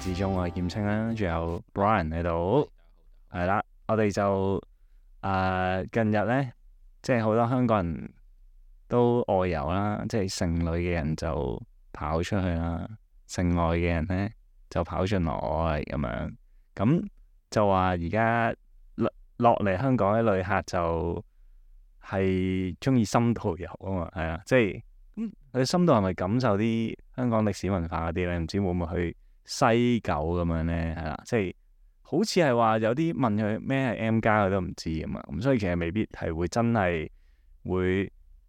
至中，我係劍青啦，仲有 Brian 喺度，係啦，我哋就近日咧，即係好多香港人都外遊啦，即係剩女嘅人就跑出去啦，剩外嘅人咧就跑進來咁樣，咁就話而家落嚟香港嘅旅客就係中意深度遊啊嘛，係啊，即係佢深度係咪感受啲香港歷史文化嗰啲咧？唔知會唔會去西九咁樣咧？係啦，即係好似係話有啲問佢咩係 M+，佢都唔知啊嘛。咁所以其實未必係會真係會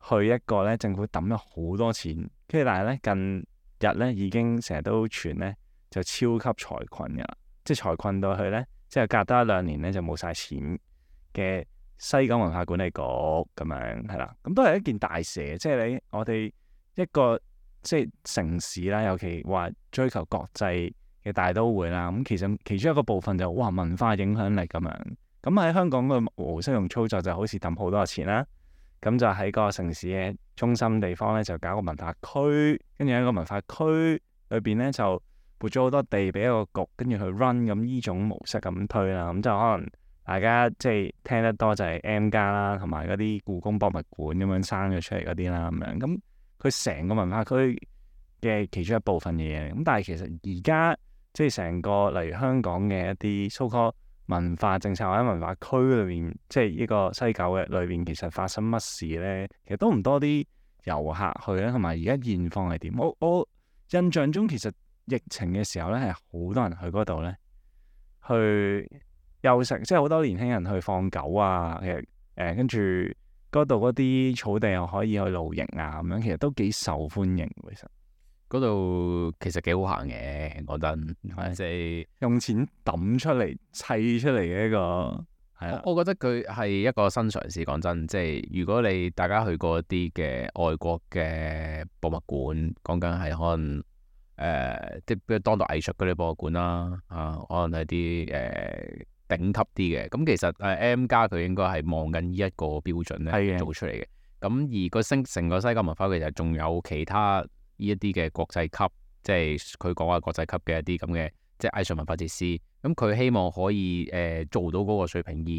去一個咧政府抌咗好多錢，跟住但係咧近日咧已經成日都傳咧就超級財困㗎啦，即係財困到去咧，即係隔多1-2年咧就冇晒錢嘅西九文化管理局咁樣係啦。咁都係一件大事，即係我哋一個即係城市啦，尤其話追求國際嘅大都會啦。咁其實其中一個部分就文化影響力咁樣。咁喺香港嘅模式同操作就好似抌好多錢啦。咁就喺個城市嘅中心地方咧，就搞個文化區，跟住喺個文化區裏邊咧就撥咗好多地俾一個局，跟住去 run 咁呢種模式咁推啦。咁就可能大家即係聽得多就係 M+ 啦，同埋嗰啲故宮博物館咁樣生咗出嚟嗰啲啦咁樣。咁佢成個文化區嘅其中一部分嘅嘢，咁但係其實而家即係成個例如香港嘅一啲 so-called 文化政策或者文化區裏邊，即係呢個西九嘅裏邊，其實發生乜事咧？其實都唔多啲遊客去咧，同埋而家現況係點？我印象中其實疫情嘅時候咧係好多人去嗰度咧去休息，即係好多年輕人去放狗啊，其實跟住嗰度嗰啲草地又可以去露營啊，咁樣其實都幾受歡迎。其實嗰度其實幾好行嘅，講真，即係用錢抌出嚟砌出嚟嘅一個係啦。我覺得佢係一個新嘗試。講真，即係如果你大家去過一啲嘅外國嘅博物館，講緊係可能即係當代藝術嗰啲博物館啦，可能係啲頂級啲嘅。咁其實M+ 佢應該係望緊呢一個標準咧做出嚟嘅。咁而個成個西九文化其實仲有其他呢一啲嘅國際級，即係佢講話國際級嘅一啲咁嘅即係藝術文化設施。咁佢希望可以做到嗰個水平，而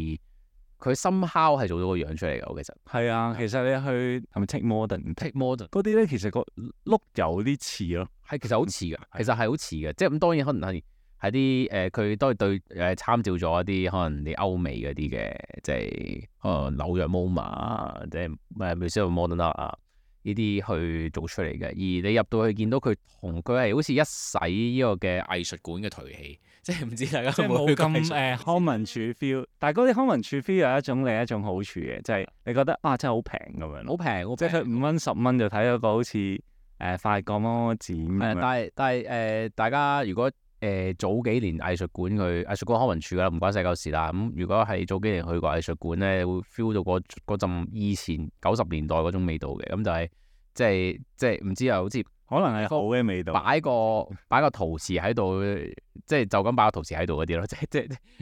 佢somehow係做到個樣出嚟嘅。我其實係啊，其實你去係咪 Tate Modern 嗰啲咧，其實個 look 有啲似咯，係其實好似嘅，其實係好似嘅。即係咁當然可能係啲佢都係對參照咗一啲可能你歐美嗰啲嘅，即係可能紐約 MoMA 即係Museum of Modern Art 啊呢啲去做出嚟嘅。而你入到去見到佢同佢係好似一洗呢個嘅藝術館嘅頹氣，即係唔知大家即係冇咁康文署 feel。但係嗰啲康文署 feel 有另一種好處嘅，就係你覺得真係好平咁樣，好平，即係佢5蚊10蚊就睇到個好似法國乜展咁樣。但係大家如果早幾年藝術館康文署啦，唔關西九事啦。咁如果係早幾年去過藝術館咧，會 feel 到嗰陣以前90年代嗰種味道嘅。咁就係即係唔知啊，好似可能係好嘅味道。擺個陶瓷喺度，即係就咁擺個陶瓷喺度嗰啲咯。即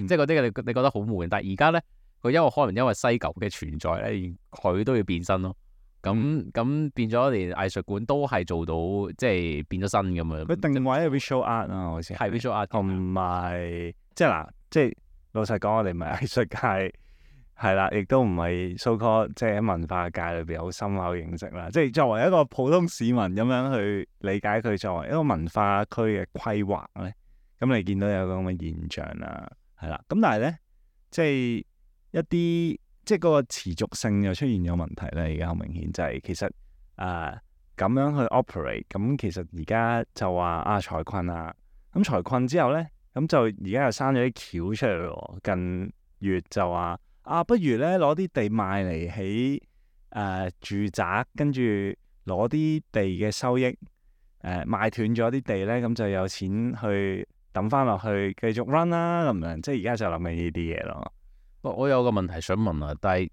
係嗰啲你覺得好悶。但係而家咧，佢可能因為西九嘅存在咧，佢都要變身咯。咁變咗連藝術館都係做到，即係變咗身咁樣。佢定位係 visual art 啊，好似係 visual art，同埋即係老實講，我哋唔係藝術界，係啦，亦都唔係 so-called 即係喺文化界裏邊好深厚認識啦。即係作為一個普通市民咁樣去理解佢作為一個文化區嘅規劃咧，咁你見到有個咁嘅現象啦，係啦。咁但係咧，即係一啲。即係嗰個持續性又出現咗問題咧，而家好明顯就係其實咁樣去 operate，咁其實而家就話財困啊，咁財困之後咧，咁就而家又生咗啲橋出嚟喎。近月就話不如咧攞啲地賣嚟起住宅，跟住攞啲地嘅收益賣斷咗啲地咧，咁就有錢去抌翻落去繼續 run 啦咁樣。即係而家就諗緊呢啲嘢咯。我有個問題想問啊，但係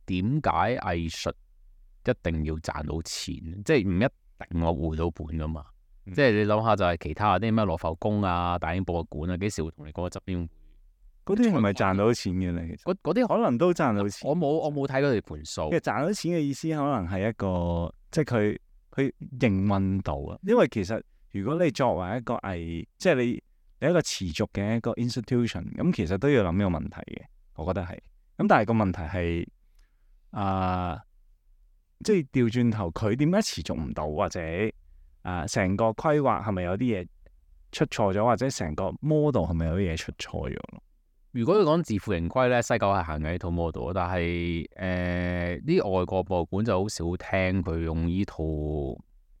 點解藝術一定要賺到錢？即係唔一定我回到本噶嘛？即係你諗下，就係其他啲咩羅浮宮啊、大英博物館啊，幾時會同你講側邊？嗰啲係咪賺到錢嘅咧？其實嗰啲可能都賺到錢。我冇睇佢哋盤數。其實賺到錢嘅意思可能係一個，即係佢營運到啊。因為其實如果你作為一個即係你一個持續嘅一個 institution，咁其實都要諗呢個問題嘅，我覺得係。咁但係個問題係即係調轉頭，佢點解持續唔到，或者成個規劃係咪有啲嘢出錯咗，或者成個 model 係咪有啲嘢出錯咗？如果要講自負盈虧咧，西九係行緊呢套 model，但係啲外國博物館就好少聽佢用呢套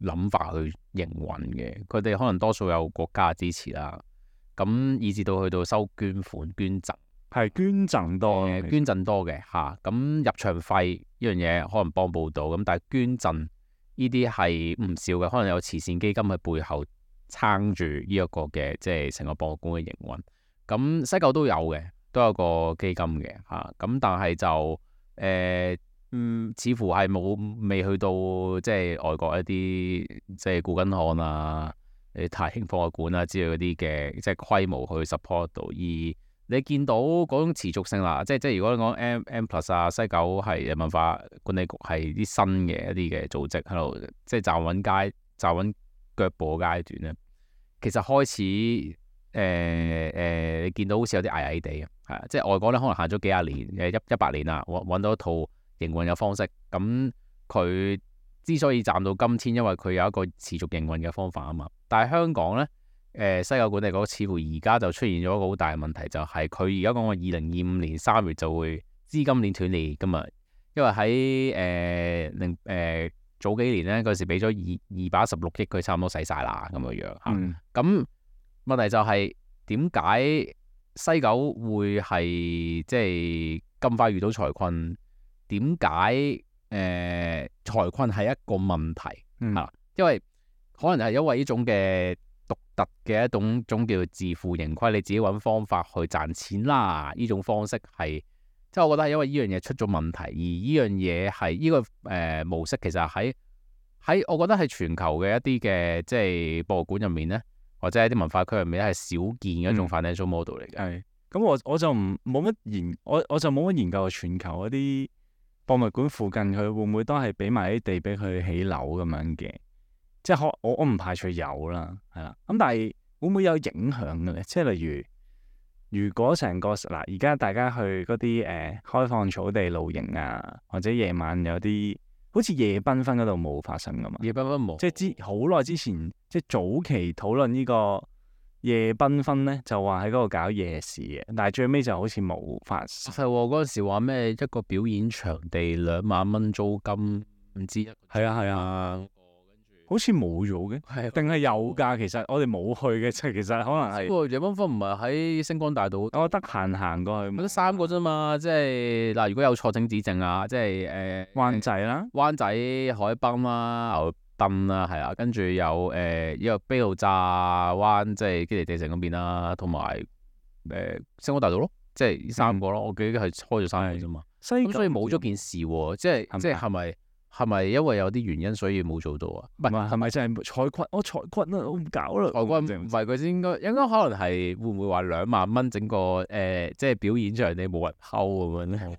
諗法去營運嘅。佢哋可能多數有國家支持啦，咁以至到去到收捐款捐贈。係捐贈多，捐贈多嘅嚇，咁入場費呢樣嘢可能幫補到，咁但係捐贈呢啲係唔少嘅，可能有慈善基金喺背後撐住呢一個嘅即係成個博物館嘅營運。咁西九都有嘅，都有個基金嘅嚇，咁但係就似乎係未去到即係外國一啲即係古根漢啊、大興博物館啊之類嗰啲嘅即係規模去 support 到而。你見到嗰種持續性啦，即係如果你講 M+ 啊，西九係文化管理局係啲新嘅一啲嘅組織喺度，即係站穩腳步嘅階段咧。其實開始你見到好似有啲矮矮地嘅，係啊，即係外國咧可能行咗幾廿年100年啦，揾到一套營運嘅方式。咁佢之所以站到今天，因為佢有一個持續營運嘅方法啊嘛。但係香港咧。西九管理局似乎而家就出現咗一個好大嘅問題，就係佢而家講話2025年3月就會資金鏈斷裂㗎嘛。因為喺早幾年咧嗰時俾咗216億，佢差唔多使晒啦咁樣樣嚇。咁問題就係點解西九會係即係咁快遇到財困？點解財困係一個問題嚇？因為可能係因為呢種嘅獨特嘅一種叫做自負盈虧，你自己揾方法去賺錢啦。呢種方式係即係我覺得係因為呢樣嘢出咗問題，而呢樣嘢係呢個模式其實喺我覺得係全球嘅一啲嘅即係博物館入面咧，或者喺啲文化區入面咧係少見嘅一種 financial model 嚟嘅。係咁，我就冇乜研究全球嗰啲博物館附近佢會唔會都係俾埋啲地俾佢起樓咁樣嘅？即係我唔排除有啦，係啦。咁但係會唔會有影響嘅咧？即係例如果成個嗱，而家大家去嗰啲開放草地露營啊，或者夜晚有啲好似夜繽紛嗰度冇發生噶嘛？夜繽紛冇，即係好耐之前，即係早期討論呢個夜繽紛咧，就話喺嗰度搞夜市嘅，但係最尾就好似冇發生。係喎，嗰陣時話咩一個表演場地2萬蚊租金，唔知係啊。好似冇咗嘅，定係有㗎？其實我哋冇去嘅，即係其實可能係。不過夜繽紛唔係喺星光大道，我得閒行過去。得3個啫嘛，即係嗱，如果有錯請指正啊，即係灣仔啦，灣仔海濱啦、牛墩啦，係啊，跟住有呢個卑路乍灣，即係基地地城嗰邊啦，同埋星光大道咯，即係呢3個咯。我記得係開咗3個啫嘛。咁所以冇咗件事喎，即係係咪因為有啲原因所以冇做到啊？唔係咪真係財困？財困啊！我唔搞啦。財困唔係佢先應該可能係會唔會話2萬蚊整個即係表演場地冇人溝咁樣咧？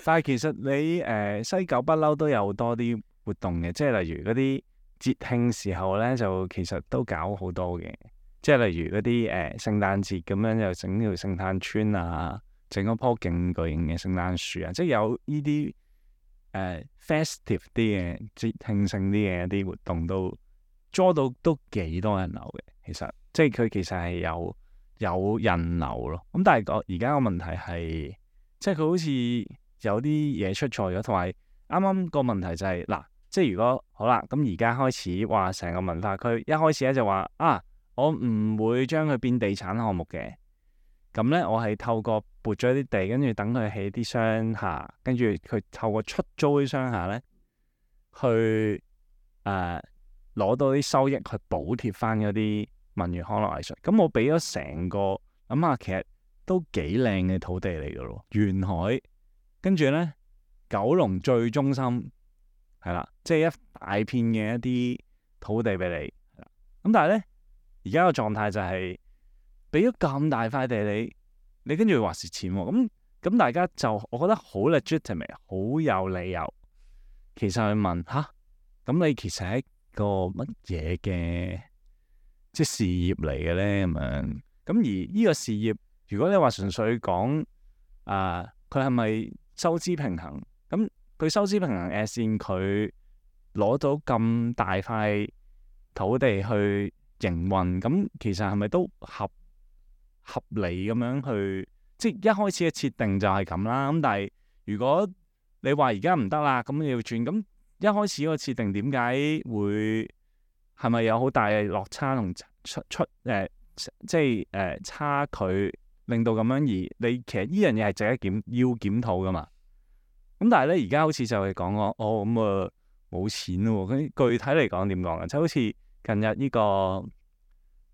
但係其實你西九不嬲都有多啲活動嘅，即係例如嗰啲節慶時候咧，就其實都搞好多嘅。即係例如嗰啲聖誕節咁樣，又整條聖誕村啊，整一棵勁巨型嘅聖誕樹啊，即係有呢啲。festive 啲嘅節慶性啲嘅一啲活動都捉到都幾多人流嘅，其實即係佢其實係有人流咯。咁但係而家個問題係，即係佢好似有啲嘢出錯咗，同埋啱啱個問題就係嗱，即係如果好啦，咁而家開始話成個文化區一開始咧就話我唔會將佢變地產項目嘅。咁咧，我係透過撥咗啲地，跟住等佢起啲商廈，跟住佢透過出租啲商廈咧，去攞到啲收益去補貼翻嗰啲文娛康樂藝術。咁我俾咗成個諗下，其實都幾靚嘅土地嚟噶咯，沿海，跟住咧九龍最中心係啦，即係一大片嘅一啲土地俾你。咁但係咧，而家個狀態就係。俾咗咁大塊地你跟住話蝕錢喎，咁大家就我覺得好 legitimate， 好有理由。其實去問咁你其實係一個乜嘢嘅即係事業嚟嘅咧咁樣？咁而呢個事業，如果你話純粹講佢係咪收支平衡？咁佢收支平衡as in佢攞到咁大塊土地去營運，咁其實係咪都合理咁樣去？即係一開始嘅設定就係咁啦。咁但係如果你話而家唔得啦，咁你要轉，咁一開始個設定點解會係咪有好大嘅落差同即係差距，令到咁樣而你其實呢樣嘢係值得要檢討噶嘛？咁但係咧而家好似就係講我咁冇錢咯喎，咁具體嚟講點講啊？即係好似近日呢個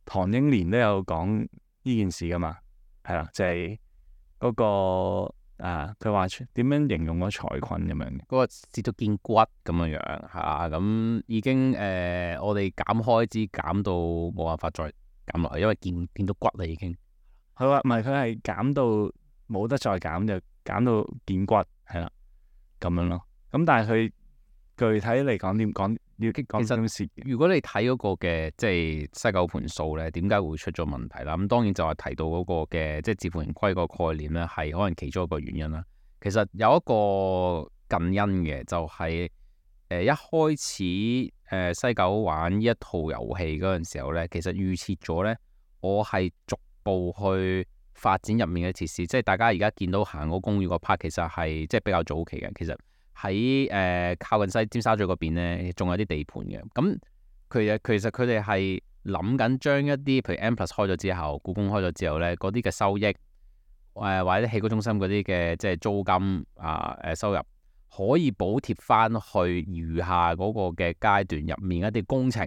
唐英年都有講呢件事噶嘛，係啦，就係嗰個佢話點樣形容個財困咁樣嘅，嗰個跌到見骨咁樣樣嚇，咁已經我哋減開支減到冇辦法再減落去，因為見到骨啦已經。佢話唔係，佢係減到冇得再減，就減到見骨，係啦咁樣咯。咁但係佢具體嚟講點講？要講點事？如果你睇嗰個嘅即係西九盤數咧，點解會出咗問題啦？咁當然就係提到嗰個嘅即係自負盈虧個概念咧，係可能其中一個原因啦。其實有一個近因嘅，就係一開始西九玩呢一套遊戲嗰陣時候咧，其實預設咗咧，我係逐步去發展入面嘅設施，即係大家而家見到行嗰公寓個 part，其實係即係比較早期嘅，其實。喺靠近尖沙咀嗰邊咧，仲有啲地盤嘅。咁其實佢哋係諗緊將一啲譬如 M+ 開咗之後，故宮開咗之後咧，嗰啲嘅收益或者戲曲中心嗰啲嘅即係租金收入，可以補貼翻去餘下嗰個嘅階段入面一啲工程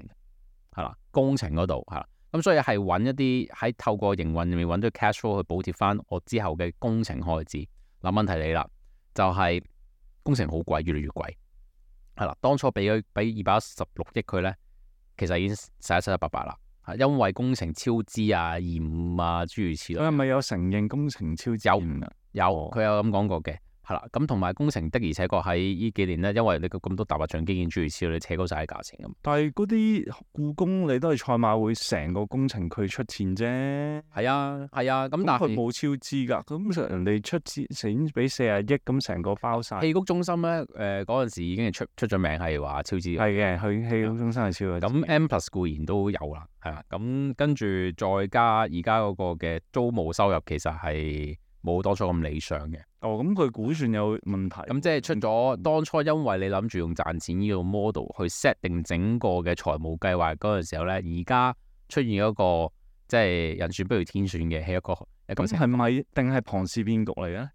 係啦，工程嗰度係啦。咁所以係揾一啲喺透過營運入面揾到 cash flow 去補貼翻我之後嘅工程開支。嗱，問題嚟啦，就係。工程好貴，越嚟越貴，係啦。當初俾216億佢咧，其實已經洗得七七八八啦。因為工程超支延誤諸如此類。佢係咪有承認工程超支？有，佢有咁講過嘅，係啦。咁同埋工程的而且確喺呢幾年咧，因為你咁多大白象基建諸如此類，你扯高晒啲價錢咁。但係嗰啲故宮你都係賽馬會成個工程佢出錢啫。係啊，咁但係佢冇超支㗎，咁人哋出錢俾40億，咁成個包晒。戲曲中心咧，嗰陣時已經係出咗名係話超支。係嘅，佢戲曲中心係超支。咁 M+ 固然都有啦，係啦。咁跟住再加而家嗰個嘅租務收入，其實係冇當初咁理想嘅。咁佢估算有問題。咁即係出咗當初，因為你諗住用賺錢呢個 model 去 set 定整個嘅財務計劃嗰陣時候咧，而家出現一個即係人算不如天算嘅係一個。咁係咪定係龐氏騙局嚟嘅？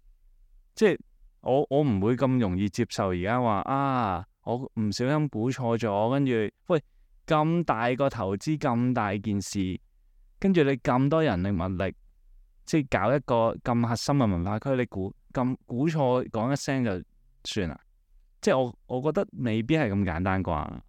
即係我唔會咁容易接受而家話我唔小心估錯咗，跟住喂咁大個投資咁大件事，跟住你咁多人力物力，即係搞一個咁核心嘅文化區，你估錯講一聲就算啦？即係我覺得未必係咁簡單啩。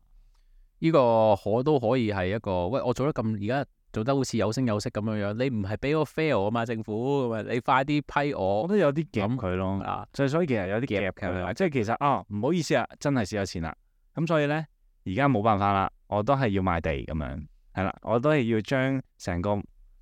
呢個都可以係一個喂，我做得咁而家做得好似有聲有色咁樣樣，你唔係俾我 fail 啊嘛，政府咁啊，你快啲批我。我覺得有啲夾佢咯，就所以其實有啲夾佢，即係其實唔好意思啊，真係蝕咗錢啦。咁所以咧，而家冇辦法啦，我都係要賣地咁樣，係啦，我都係要將成個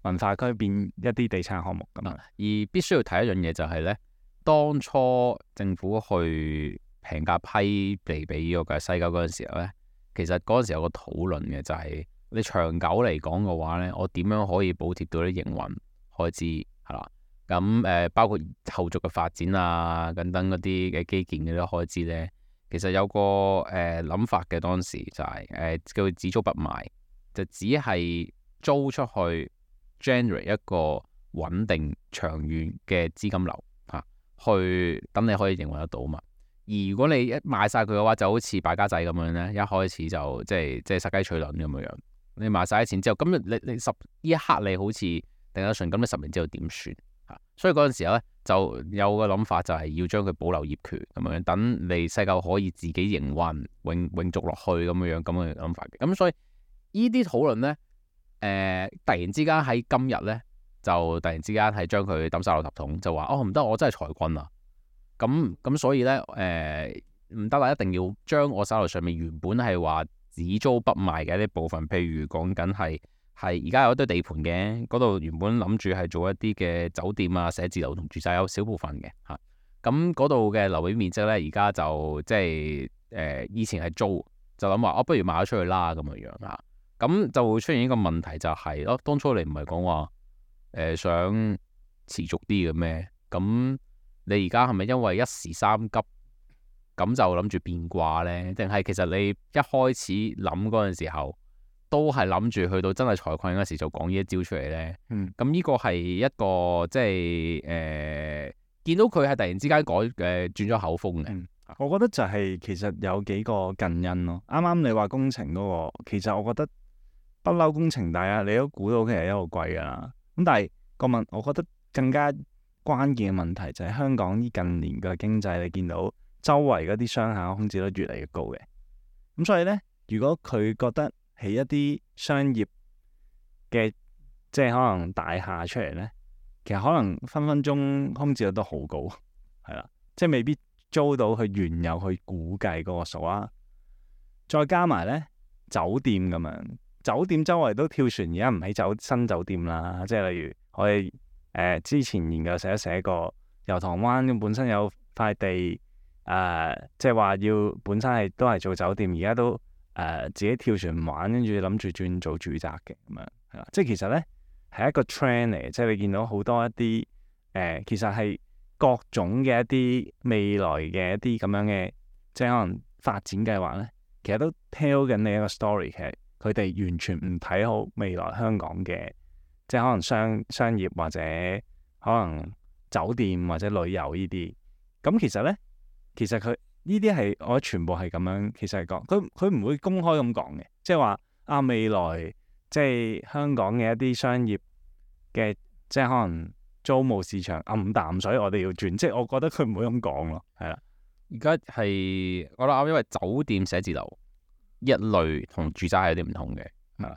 文化區變一啲地產項目咁樣。而必須要提一樣嘢就係咧，當初政府去平價批地俾呢個嘅西九嗰陣時候咧，其實嗰陣時有個討論嘅就係你長久嚟講嘅話咧，我點樣可以補貼到啲營運開支係啦？咁包括後續嘅發展啊，等等嗰啲嘅基建嗰啲開支咧，其實有個諗法嘅，當時就係叫只租不賣，就只係租出去 generate 一個穩定長遠嘅資金流去等你可以營運得到嘛。而如果你一賣晒佢嘅話，就好似敗家仔咁樣咧，一開始就即係殺雞取卵咁樣樣。你賣晒啲錢之後，咁你呢一刻你好似定得順，咁你10年之後點算？所以嗰陣時候咧，就有個諗法就係要將佢保留業權咁樣，等你西九可以自己營運永續落去咁樣咁嘅諗法嘅。咁所以呢啲討論咧，突然之間喺今日咧，就突然之間係將佢抌晒落垃圾桶，就話唔得，我真係財困啊！咁所以咧，唔得啦，一定要將我手頭上面原本係話只租不賣嘅一啲部分，譬如講緊係係而家有一堆地盤嘅，嗰度原本諗住係做一啲嘅酒店啊、寫字樓同住宅有少部分嘅嚇。咁嗰度嘅樓面面積咧，而家就即係以前係租，就諗話不如賣咗出去啦咁樣樣嚇。咁就會出現一個問題就係當初你唔係講話想持續啲嘅咩？咁你而家係咪因為一時三急咁就諗住變卦呢？定係其實你一開始諗嗰陣時候，都係諗住去到真係財困嗰時就講呢一招出嚟呢？咁呢個係一個即係見到佢係突然之間轉咗口風嘅。我覺得就係其實有幾個近因咯。啱啱你話工程嗰個，其實我覺得不嬲工程大家你都估到其實一路貴㗎啦。咁但係我覺得更加關鍵嘅問題就係香港呢近年嘅經濟，你見到周圍嗰啲商廈空置率越嚟越高嘅。咁所以呢，如果佢覺得起一啲商業嘅即係可能大廈出嚟呢，其實可能分分鐘空置率都好高，係啦，即係未必租到佢原有去估計嗰個數啊。再加埋呢酒店咁樣，酒店周圍都跳船，而家唔起新酒店啦。即係例如我哋之前研究寫過，油塘灣咁本身有塊地即係話要本身都係做酒店，而家都自己跳船唔玩，跟住諗住轉做住宅嘅咁樣係啦。即係其實呢係一個 trend 嚟嘅，即係你見到好多一啲其實係各種嘅一啲未來嘅一啲咁樣嘅即係可能發展計劃呢，其實都 tell 緊你一個 story，其實佢哋完全唔睇好未來香港嘅即係可能商業或者可能酒店或者旅遊呢啲。咁其實呢，其實佢呢啲係我覺得全部係咁樣，其實係講佢唔會公開咁講嘅，即係話未來即係香港嘅一啲商業嘅即係可能租務市場暗淡水，我哋要轉，即係我覺得佢唔會咁講咯，係啦。而家係我覺得啱，因為酒店寫字樓一類同住宅係有啲唔同嘅。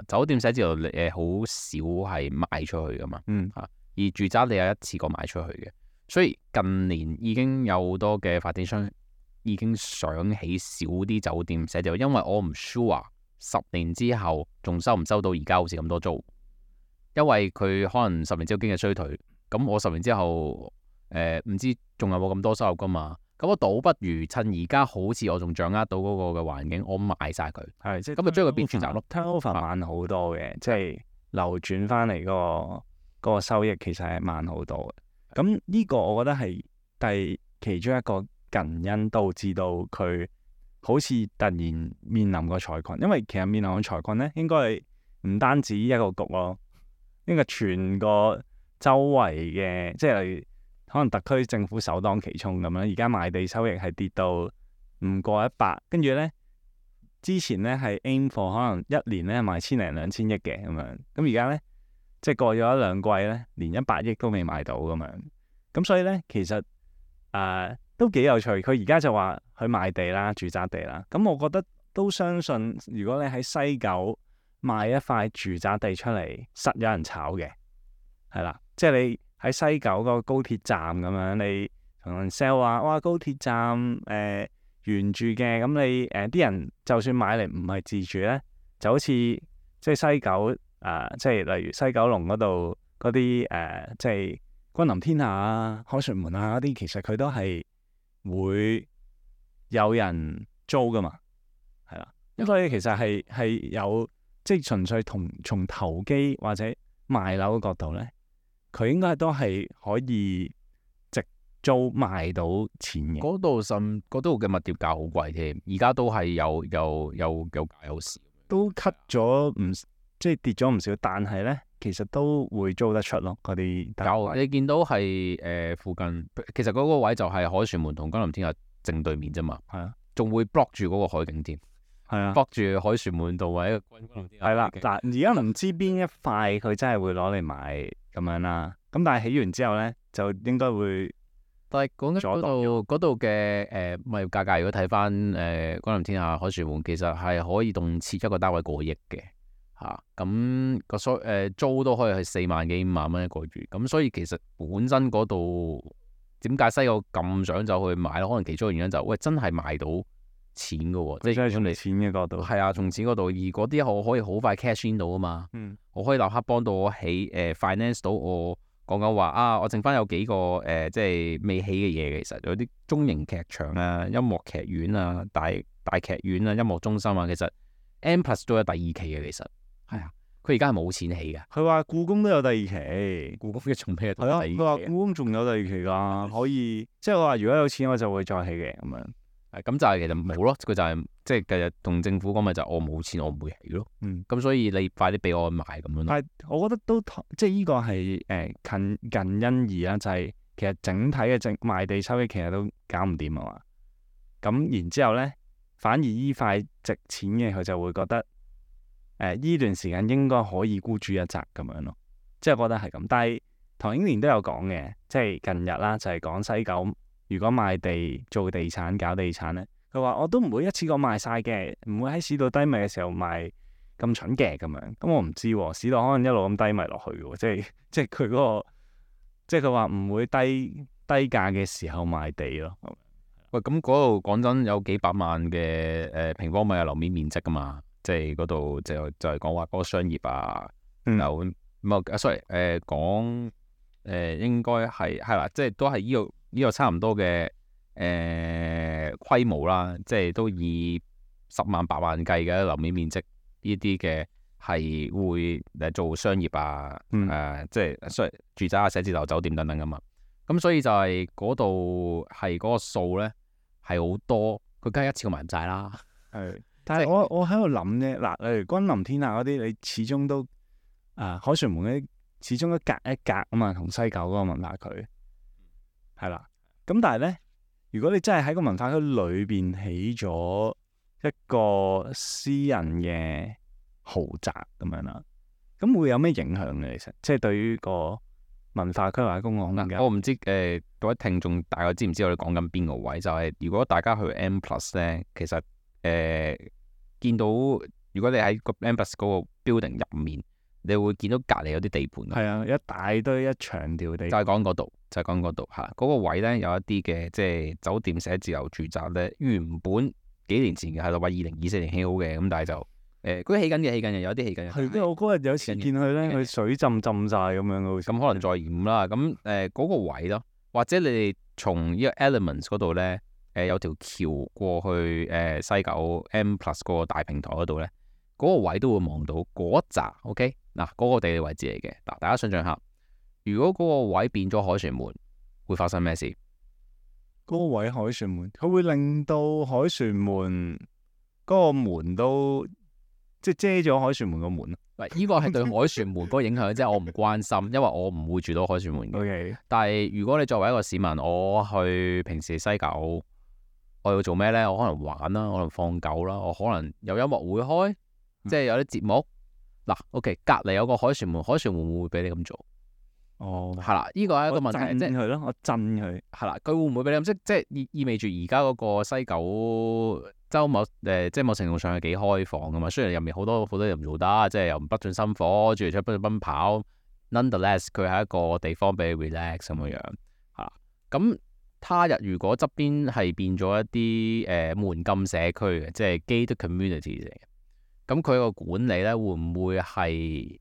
酒店寫字樓好少係賣出去噶嘛，而住宅你有一次過賣出去嘅，所以近年已經有好多嘅發展商已經想起少啲酒店寫字樓，因為我唔 sure 10年之後仲收唔收到而家好似咁多租，因為佢可能10年之後經濟衰退，咁我10年之後唔知仲有冇咁多收入噶嘛。咁我倒不如趁而家好似我仲掌握到嗰個嘅環境，我賣晒佢，係即係咁就將佢變住宅咯。turnover 慢好多嘅，即係流轉翻嚟嗰個收益其實係慢好多嘅。咁呢個我覺得係其中一個近因導致到佢好似突然面臨個財困，因為其實面臨個財困咧，應該係唔單止一個局咯，應該全個周圍嘅，即係例如可能特區政府首當其衝咁樣，而家賣地收益係跌到唔過100，跟住呢，之前呢係 aim for 可能一年呢賣1000零2000億嘅咁樣，咁而家呢，即係過咗一兩季呢，連100億都未賣到咁樣，咁所以呢，其實都幾有趣。佢而家就話去賣地啦，住宅地啦，咁我覺得都相信，如果你喺西九賣一塊住宅地出嚟，實有人炒嘅，係啦，即係你喺西九個高鐵站咁樣，你同人 sell 話，哇，高鐵站原住嘅，咁你啲人就算買嚟唔係自住咧，就好似即係西九即係例如西九龍嗰度嗰啲即係君臨天下啊、凱旋門啊嗰啲，其實佢都係會有人租噶嘛，係啦。咁所以其實係有即係純粹從投機或者賣樓嘅角度咧，佢應該都係可以直租賣到錢嘅。嗰度嘅物業價好貴添，而家都係有價有市，都 cut 咗即係跌咗唔少，但係咧其實都會租得出咯。嗰啲有你見到係附近，其實嗰個位就係凱旋門同君臨天下正對面啫嘛。係啊，仲會 block 住嗰個海景添。係啊， block 住凱旋門道或者君臨天下。係啦，嗱，而家唔知邊一塊佢真係會攞嚟賣咁樣啦。咁但係起完之後咧，就應該會。但係講緊嗰度嘅物業價格，如果睇翻君臨天下、凱旋門，其實係可以動設一個單位過億嘅嚇。咁個租都可以係4萬幾5萬蚊一個月。咁所以其實本身嗰度點解西九咁想走去買咧？可能其中一個原因就喂真係賣到錢嘅喎，即係從你錢嘅角度。係啊，從錢嗰度，而嗰啲我可以好快 cash in 到啊嘛。我可以立刻幫到我起finance 到我講緊話啊，我剩翻有幾個即係未起嘅嘢，其實有啲中型劇場啊、音樂劇院啊、大劇院啊、音樂中心啊，其實 M+ 都有第二期嘅，其實係啊，佢而家係冇錢起嘅。佢話故宮都有第二期，故宮嘅仲咩？係啊，佢話故宮仲有第二期㗎，可以即係我話如果有錢我就會再起嘅咁樣。咁就係其實冇咯，佢就係即係繼日同政府講咪就我冇錢我唔會起咯。咁所以你快啲俾我買咁樣咯。但係我覺得都即係呢個係近因宜啦，就係其實整體嘅賣地收益其實都搞唔掂啊嘛。咁然之後咧，反而依塊值錢嘅佢就會覺得呢段時間應該可以孤注一擲咁樣咯。即係覺得係咁。但係唐英年都有講嘅，即係近日啦，就係講西九。如果賣地做地產搞地產咧，佢話我都唔會一次過賣晒嘅，唔會喺市道低迷嘅時候賣咁蠢嘅咁樣。咁我唔知喎，市道可能一路咁低迷落去喎，即係佢嗰個，即係佢話唔會低價嘅時候賣地咯。喂，咁嗰度講真有幾百萬嘅平方米嘅樓面面積噶嘛，即係嗰度就係講話嗰個商業啊，樓sorry 講應該係啦，即係都係呢個差唔多嘅規模啦，即係都以10萬8萬計嘅樓面面積呢啲嘅係會做商業啊，即係住宅啊、寫字樓、酒店等等噶嘛。咁所以就係嗰度係嗰個數咧係好多，佢梗係一次過賣唔晒啦。係，但係我喺度諗咧，嗱，例如君臨天下嗰啲，你始終都凱旋門嗰啲，始終都隔一隔啊嘛，同西九嗰個文化區。係啦，咁但係咧，如果你真係喺個文化區裏邊起咗一個私人嘅豪宅咁樣啦，咁會有咩影響嘅？其實即係對於個文化區或者公共空間，我唔知各位聽眾大概知唔知我哋講緊邊個位？就係如果大家去 M+ 咧，其實見到如果你喺個 M+ 嗰個 building 入面，你會見到隔離有啲地盤。係啊，一大堆一長條地盤，就係講嗰度嚇，嗰個位咧有一啲嘅即係酒店、寫字樓、住宅咧，原本幾年前嘅係話2024年起好嘅，咁但係就嗰啲起緊嘅，有啲起緊嘅。係，即係我嗰日有次見佢咧，佢水浸晒咁樣嘅，咁可能再嚴啦。咁嗰個位咯，或者你哋從呢個 Elements 嗰度咧，有條橋過去西九 M+ 嗰個大平台嗰度咧，嗰個位都會望到嗰一紮。OK，嗱，嗰個地理位置嚟嘅。嗱，大家想象下，如果嗰個位變咗凱旋門，會發生咩事？嗰個位凱旋門，佢會令到凱旋門嗰個門都即係遮咗凱旋門個門。喂，呢個係對凱旋門嗰個影響，即係我唔關心，因為我唔會住到凱旋門嘅。Okay. 但係如果你作為一個市民，我去平時西九，我要做咩呢？我可能玩啦，可能放狗啦，我可能有音樂會開，即係有啲節目。嗱，OK， 隔離有個凱旋門，凱旋門會唔會俾你咁做？哦，係啦，呢個係一個問題，即係佢咯，我震佢係啦，佢會唔會俾你咁？即係意味住而家嗰個西九周末即係某程度上係幾開放噶嘛？雖然入面好多嘢唔做得，即係又不進心火，住嚟出不斷奔跑。Nonetheless，佢係一個地方俾你 relax 咁樣嚇。咁他日如果側邊係變咗一啲門禁社區嘅，即係 gated community 嚟嘅，咁佢個管理咧會唔會係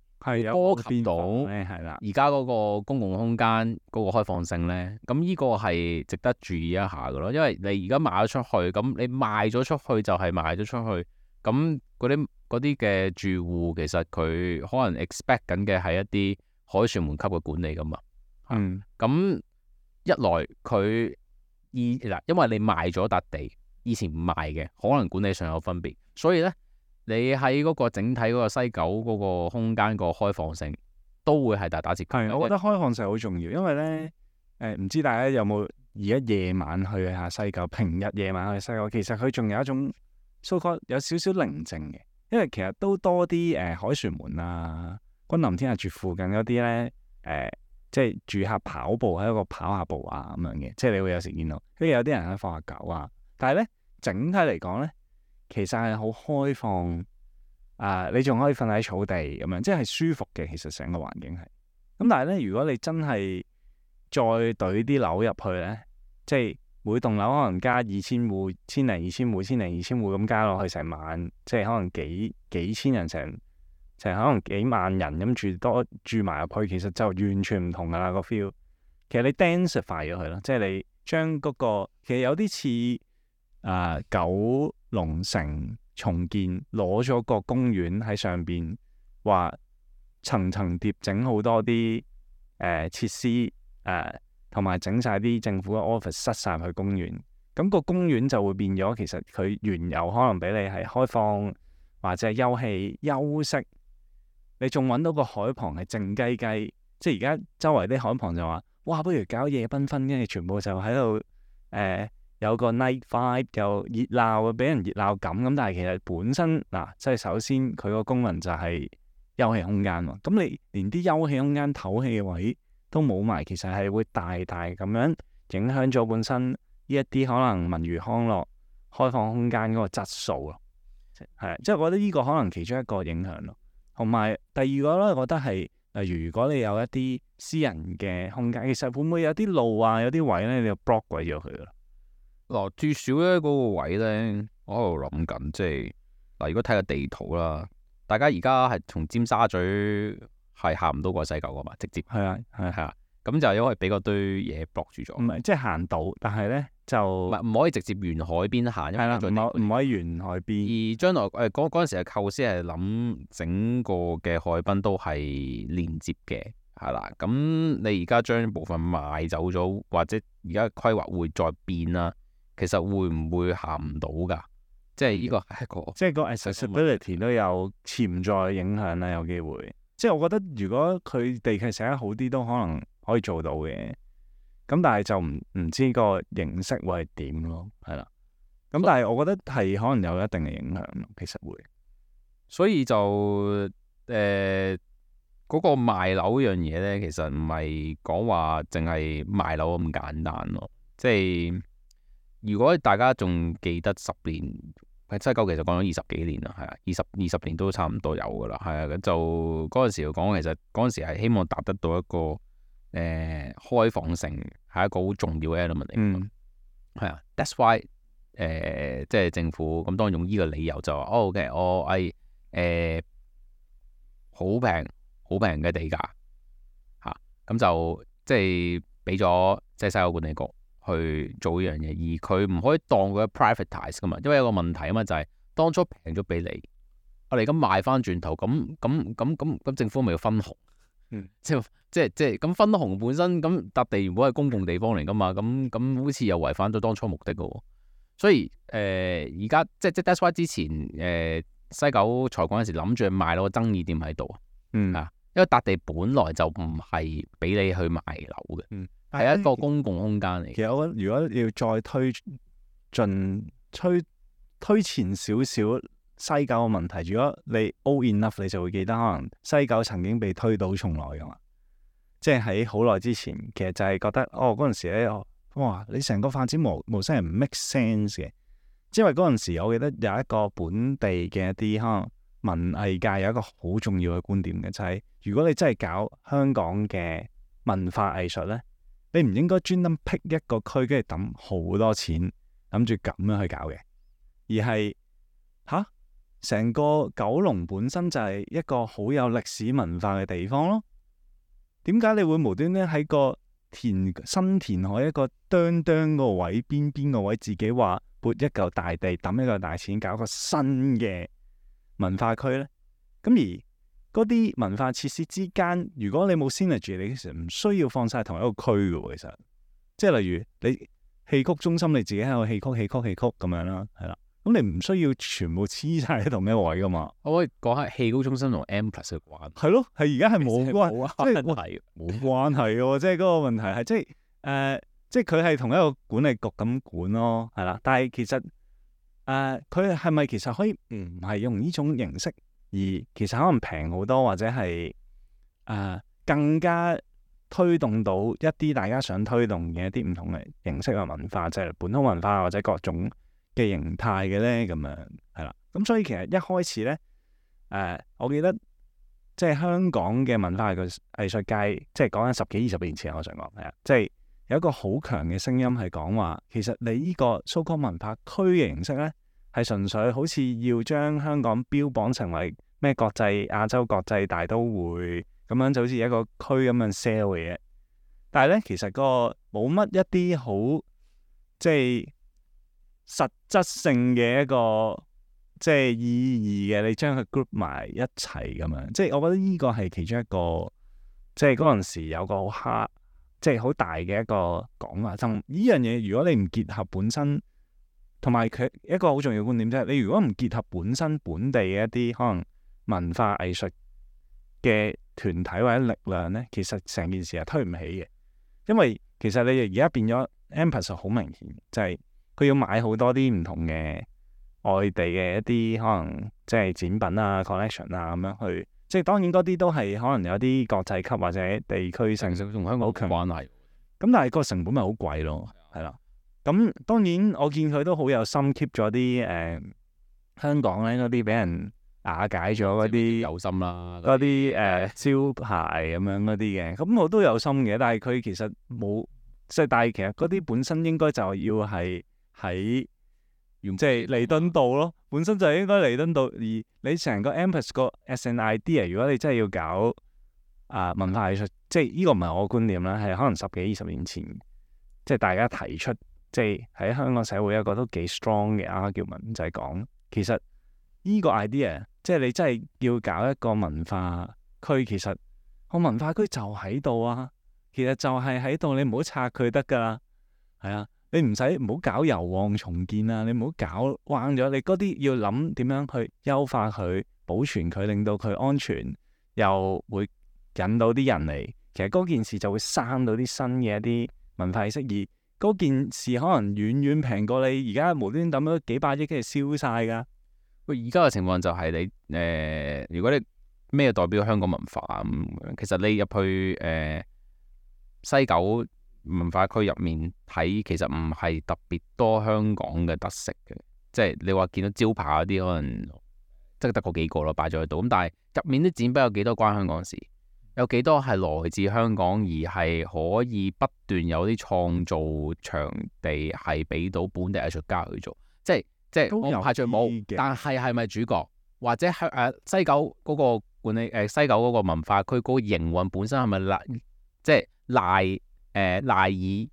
波及到係啦？而家嗰個公共空間嗰個開放性咧，咁呢個係值得注意一下嘅咯。因為你而家賣咗出去，咁你賣咗出去就係賣咗出去，咁嗰啲嘅住戶其實佢可能 expect 緊嘅係一啲凱旋門級嘅管理噶嘛。咁一來佢嗱，因為你賣咗笪地，以前唔賣嘅，可能管理上有分別，所以咧。你喺嗰個整體嗰個西九嗰個空間個開放性都會係大打折扣。係，我覺得開放性好重要，因為咧唔知大家有冇而家夜晚去下西九，平日夜晚去西九，其實佢仲有一種 so called 有少少寧靜嘅，因為其實都多啲凱旋門啊、君臨天下住附近嗰啲咧即係住客跑步喺一個跑下步啊咁樣嘅，即係你會有時見到，跟住有啲人喺放下狗啊，但係咧整體嚟講咧。其實係好開放，你仲可以瞓喺草地咁樣，即係舒服嘅。其實成個環境係咁，但係咧，如果你真係再懟啲樓入去咧，即係每棟樓可能加2000戶、1000-2000戶、1000-2000戶咁加落去成萬，即係可能幾千人成可能幾萬人咁住埋入去，其實就完全唔同噶啦個 feel。其實你 densify 咗佢咯，即係你將嗰個其實有啲似九龍城重建，攞咗個公園喺上邊，話層層疊整好多啲設施同埋整晒啲政府嘅 office 塞晒去公園，咁個公園就會變咗，其實佢原有可能俾你係開放或者係休憩休息，你仲揾到個海旁係靜雞雞，即係而家周圍啲海旁就話，哇，不如搞夜繽紛，跟住全部就喺度有個 night vibe，又熱鬧，俾人熱鬧感咁。但係其實本身即係首先佢個功能就係休憩空間喎。咁你連啲休憩空間、唞氣嘅位都冇埋，其實係會大大咁樣影響咗本身呢一啲可能文娛康樂開放空間嗰個質素咯。係，即係我覺得呢個可能其中一個影響咯。同埋第二個咧，我覺得係例如如果你有一啲私人嘅空間，其實會唔會有啲路啊，有啲位咧，你就 block 鬼咗佢咯。嗱，至少咧嗰個位咧，我喺度諗緊，即係嗱，如果睇個地圖啦，大家而家係從尖沙咀係行唔到過西九噶嘛，直接係啊，咁就因為俾嗰堆嘢 block 住咗。唔係，即係行到，但係咧就唔可以直接沿海邊行，因為唔可以沿海邊。而將來嗰陣時嘅構思係諗整個嘅海濱都係連接嘅，係啦。咁你而家將部分賣走咗，或者而家規劃會再變啦。其實會唔會行唔到㗎？即係呢個係一個，即係個 accessibility 都有潛在影響啦，有機會。即係我覺得如果佢地契寫得好啲，都可能可以做到嘅。咁但係就唔知個形式會係點咯，係啦。咁但係我覺得係可能有一定嘅影響咯，其實會。所以就嗰個賣樓樣嘢咧，其實唔係講話淨係賣樓咁簡單咯，即係。如果大家仲記得10年喺西九，其實講咗20幾年啦，係啊，20年都差唔多有噶啦，係啊，就嗰陣時講，其實嗰陣時係希望達得到一個開放性，係一個好重要嘅 element 嚟，係啊，that's why 即係政府咁當然用呢個理由就話，OK， 我係好平嘅地價嚇，咁就即係俾咗即係西九管理局去做呢樣嘢，而佢唔可以當佢 privatize 噶嘛，因為有個問題啊嘛，就係當初平咗俾你，我哋而家賣翻轉頭，咁政府咪要分紅？即係咁分紅本身咁笪地原本係公共地方嚟噶嘛，咁好似又違反咗當初目的噶喎。所以而家即係 that's why 之前西九財嗰陣時諗住賣到個爭議點喺度啊，因為笪地本來就唔係俾你去賣樓嘅。係一個公共空間嚟。其實我覺得如果要再推前少少西九嘅問題，如果你 old enough，你就會記得可能西九曾經被推倒重來噶嘛。即係喺好耐之前，其實就係覺得嗰陣時咧，哇！你成個發展模式係唔 make sense 嘅。因為嗰陣時我記得有一個本地嘅一啲可能文藝界有一個好重要嘅觀點嘅，就係如果你真係搞香港嘅文化藝術咧，你唔應該專登闢一個區，跟住抌好多錢，諗住咁樣去搞嘅，而係成個九龍本身就係一個好有歷史文化嘅地方咯。點解你會無端端喺個新填海一個哚個位邊個位，自己話撥一嚿大地，抌一嚿大錢，搞個新嘅文化區呢？咁而嗰啲文化設施之間，如果你冇 synergy，你其實唔需要放晒同一個區嘅喎。其實，即係例如你戲曲中心，你自己喺度戲曲咁樣啦，係啦。咁你唔需要全部黐晒喺同一位噶嘛？我可以講下戲曲中心同 M+ 嘅關係。係咯，係而家係冇關，即係冇關係嘅。即係嗰個問題係即係佢係同一個管理局咁管咯，係啦。但係其實佢係咪其實可以唔係用呢種形式？而其實可能平好多，或者係更加推動到一啲大家想推動嘅一啲唔同嘅形式嘅文化，即係本土文化或者各種嘅形態嘅咧，咁樣係啦。咁所以其實一開始咧，我記得即係香港嘅文化藝術界，即係講緊10幾20年前，我想講係啊，即係有一個好強嘅聲音係講話，其實你呢個 so-called 文化區嘅形式咧，係純粹好似要將香港標榜成為咩國際亞洲國際大都會咁樣，就好似一個區咁樣 sell 嘅嘢。但係咧，其實個冇乜一啲好即係實質性嘅一個即係意義嘅，你將佢 group 埋一齊咁樣。即係我覺得呢個係其中一個，即係嗰陣時有個好即係好大嘅一個講法。就呢樣嘢，如果你唔結合本身，同埋佢一個好重要觀點，即係你如果唔結合本身本地嘅一啲可能文化藝術嘅團體或者力量咧，其實成件事係推唔起嘅。因為其實你而家變咗 M+ 好明顯，就係佢要買好多啲唔同嘅外地嘅一啲可能即係展品啊、collection 啊咁樣去，即係當然嗰啲都係可能有啲國際級或者地區性同香港好強關係。咁但係個成本咪好貴咯，係啦。咁當然我見佢都好有心 keep 咗啲香港咧嗰啲俾人瓦解咗嗰啲有心啦，嗰啲招牌咁樣嗰啲嘅，咁我都有心嘅，但係佢其實冇即係，但係其實嗰啲本身應該就要係喺即係彌敦道咯，本身就係應該彌敦道，而你成個 M+ 個 as an idea， 如果你真係要搞文化藝術，即係呢個唔係我嘅觀念啦，係可能10幾20年前，即係大家提出，即係喺香港社會一個都幾 strong 嘅 argument，就係講其實呢個 idea。即係你真係要搞一個文化區，其實個文化區就喺度啊，其實就係喺度，你唔好拆佢得噶啦，係啊，你唔好搞油旺重建啊，你唔好搞彎咗，你嗰啲要諗點樣去優化佢、保存佢，令到佢安全，又會引到啲人嚟。其實嗰件事就會生到啲新嘅一啲文化意識，而嗰件事可能遠遠平過你而家無端端抌咗幾百億跟住燒晒㗎。喂，而家嘅情況就係你如果你咩代表香港文化啊其實你入去西九文化區入面睇，其實唔係特別多香港嘅特色嘅，即係你話見到招牌嗰啲可能即係得嗰幾個咯，擺咗喺度。咁但係入面啲展品有幾多關香港事？有幾多係來自香港而係可以不斷有啲創造場地係俾到本地藝術家去做？即係我排除冇，但係咪主角或者係西九嗰個管理西九嗰個文化區嗰個營運本身係咪即係賴以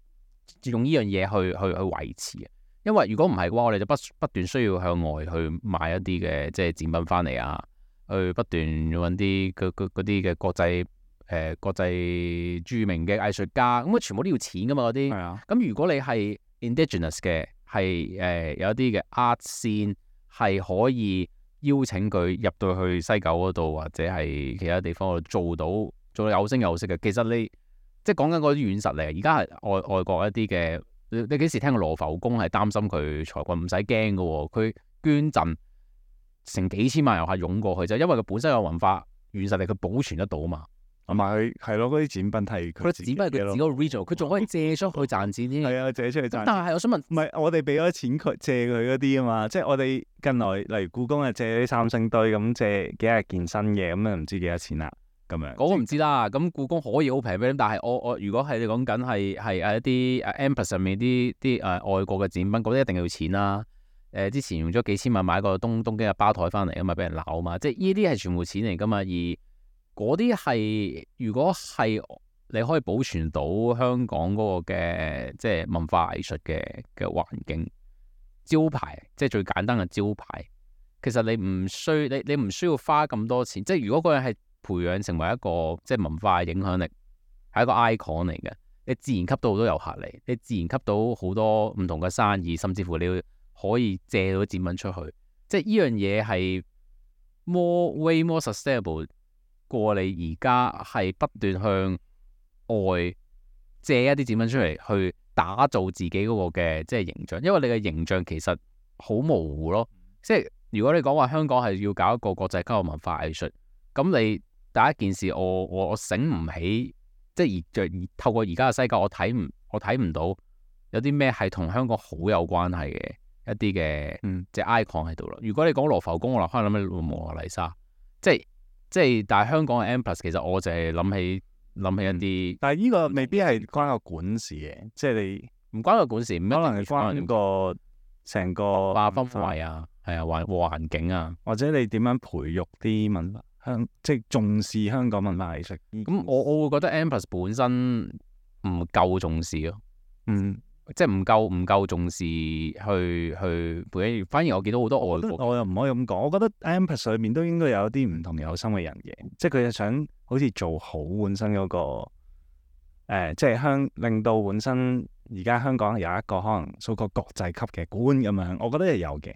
用呢樣嘢去維持啊？因為如果唔係嘅話，我哋就不斷需要向外去買一啲嘅即係展品翻嚟啊，去不斷揾啲嗰啲嘅國際著名嘅藝術家，咁全部都要錢噶嘛嗰啲。係啊。咁如果你係 indigenous 嘅。係有一啲嘅 art scene 係可以邀請佢入到去西九嗰度，或者係其他地方度做到有聲有色嘅。其實你即係講緊嗰啲軟實力，而家係外國一啲嘅，你幾時聽過羅浮宮係擔心佢財困？唔使驚嘅喎，佢捐贈成幾千萬遊客湧過去，就因為佢本身有文化軟實力，佢保存得到啊嘛。同埋佢係咯，嗰啲展品係佢展品係佢自己個 regional， 佢仲可以借出去賺錢添。係啊，借出去賺錢。但係我想問，唔係我哋俾咗錢佢借佢嗰啲啊嘛，即係我哋近來例如故宮啊借啲三星堆咁借幾廿件新嘅，咁啊唔知幾多錢啦咁樣。嗰個唔知啦，咁故宮可以好平俾你，但係我如果係你講緊係一啲M+ 上面啲外國嘅展品，嗰啲一定要錢啦。之前用咗幾千萬買個東京嘅吧台翻嚟啊嘛，俾人鬧啊嘛，即係呢啲係全部錢嚟噶嘛，而嗰啲係，如果係你可以保存到香港嗰個嘅即係文化藝術嘅環境招牌，即係最簡單嘅招牌。其實你唔需要花咁多錢，即係如果嗰樣係培養成為一個即係文化嘅影響力，係一個 icon 嚟嘅，你自然吸到好多遊客嚟，你自然吸到好多唔同嘅生意，甚至乎你可以借到展品出去。即係呢樣嘢係 way more sustainable。過你而家係不斷向外借一啲展品出嚟，去打造自己嗰個嘅即係形象，因為你嘅形象其實好模糊咯。即係如果你講話香港係要搞一個國際級嘅文化藝術，咁你第一件事我醒唔起，即係而透過而家嘅西九，我睇唔到有啲咩係同香港好有關係嘅一啲嘅即係 icon 喺度咯。如果你講羅浮宮，我可能諗起蒙娜麗莎，即係，但係香港嘅 M+，其實我就係諗起諗起一啲，但係呢個未必係關個管事嘅，即係你唔關個管事，唔一定可能係關個成個化氛圍啊，係啊，環境啊。或者你點樣培育啲文化即係重視香港文化藝術。咁我會覺得 M+ 本身唔夠重視咯，即係唔夠重視去培養。反而我見到好多外國，我又唔可以咁講。我覺得 M+ 裏面都應該有啲唔同有心嘅人嘅，即係佢係想好似做好本身嗰個即係令到本身而家香港有一個可能數個國際級嘅館咁樣。我覺得係有嘅，